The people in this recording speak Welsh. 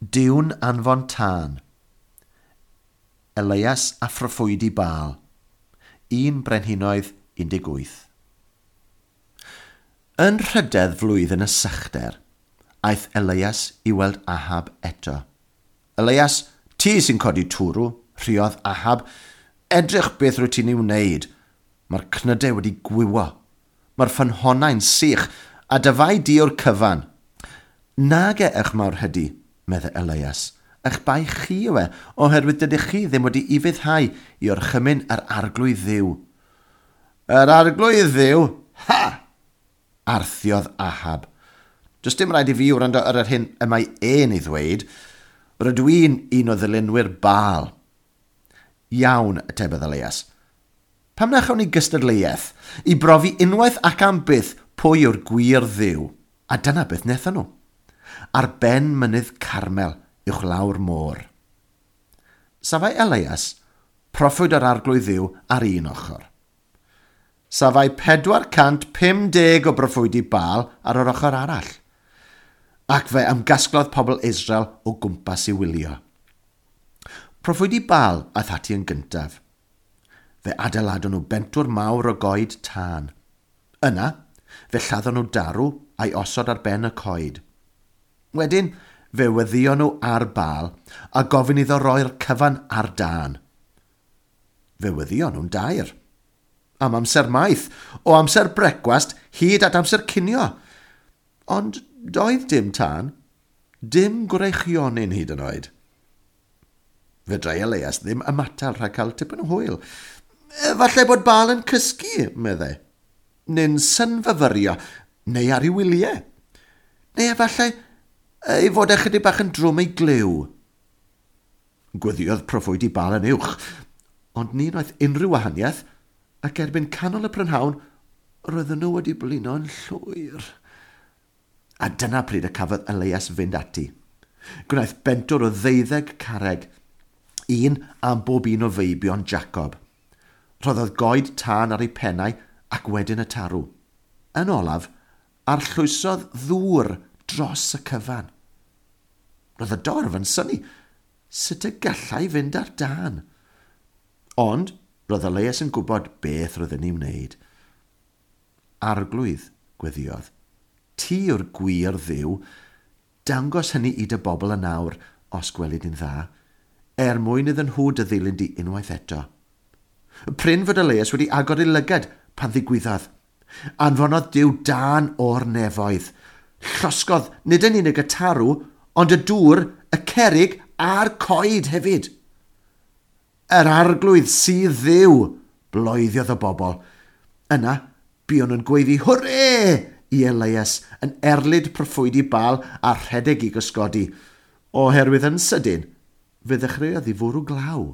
Duw'n anfon tân. Elias a phroffwydi Baal. 1 Brenhinoedd 18. Yn rhydedd flwyddyn y sychder, aeth Elias i weld Ahab eto. Elias, ti sy'n codi twrw, rhiodd Ahab. Edrych beth rwy ti'n ei wneud. Mae'r cnydau wedi gwywo. Mae'r ffynhonnau'n sych, a dyfai di o'r cyfan. Nage eich mawr hydi, meddai Elias. Eich bai chi yw e, oherwydd dydych chi ddim wedi ufuddhau i orchymyn yr arglwydd ddiw. Yr arglwydd ddiw? Ha! Arthiodd Ahab. Does dim rhaid i fi wrando ar yr hyn y mae e'n ei ddweud. Rydw i'n un o ddilynwyr Baal. Iawn, atebodd Elias. Pam na chawn ni gystadleuaeth i brofi unwaith ac am byth pwy yw'r gwir ddiw? A dyna beth wnaethon nhw. Ar ben mynydd Carmel, uwchlaw'r môr. Safai Elias, proffwyd yr arglwydd ddiw ar un ochr. Safai 450 o broffwydi Baal ar yr ochr arall. Ac fe ymgasglodd pobl Israel o gwmpas i wylio. Proffwydi Baal aeth ati yn gyntaf. Fe adeiladon nhw bentwr mawr o goed tân. Yna, fe lladdon nhw darw a'i osod ar ben y coed. Wedyn, fe weddion nhw ar Baal a gofyn iddo roi'r cyfan ar dân. Fe weddion nhw'n dair. Am amser maith, o amser brecwast hyd at amser cinio. Ond doedd dim tân, dim gwreichionyn hyd yn oed. Fedrai Elias ddim ymatal rhag cael tipyn o hwyl. Efallai bod Baal yn cysgu, meddai. Neu'n synfyfyrio, neu ar ei wyliau. Neu efallai ei fod e chydig bach yn drwm ei glyw. Gweddiodd proffwydi Baal yn uwch, ond ni wnaeth unrhyw wahaniaeth, ac erbyn canol y prynhawn, roedden nhw wedi blino'n llwyr. A dyna pryd y cafodd Elias fynd ati. Gwnaeth bentwr o ddeuddeg carreg, un am bob un o feibion Jacob. Rhoddodd goed tân ar ei pennau ac wedyn y tarw. Yn olaf, arllwysodd ddŵr dros y cyfan. Roedd y dorf yn synnu sut y gallai fynd ar dân. Ond roedd Elias yn gwybod beth roedd yn ei wneud. Arglwydd, gweddiodd, ti yw'r gwir ddiw, dangos hynny i dy bobl yn awr, os gwelid yn dda, er mwyn iddyn nhw dy ddilyn di unwaith eto. Prin fod Elias wedi agor ei lygad pan ddigwyddodd. Anfonodd Duw dân o'r nefoedd. Llosgodd nid yn unig y tarw, ond y dŵr, y cerrig a'r coed hefyd. Yr arglwydd sydd ddiw, bloeddiodd y bobl. Yna, buon nhw'n gweiddi hwre i Elias yn erlid proffwydi Baal a rhedeg i gysgodi, oherwydd yn sydyn, fe ddechreuodd i fwrw glaw.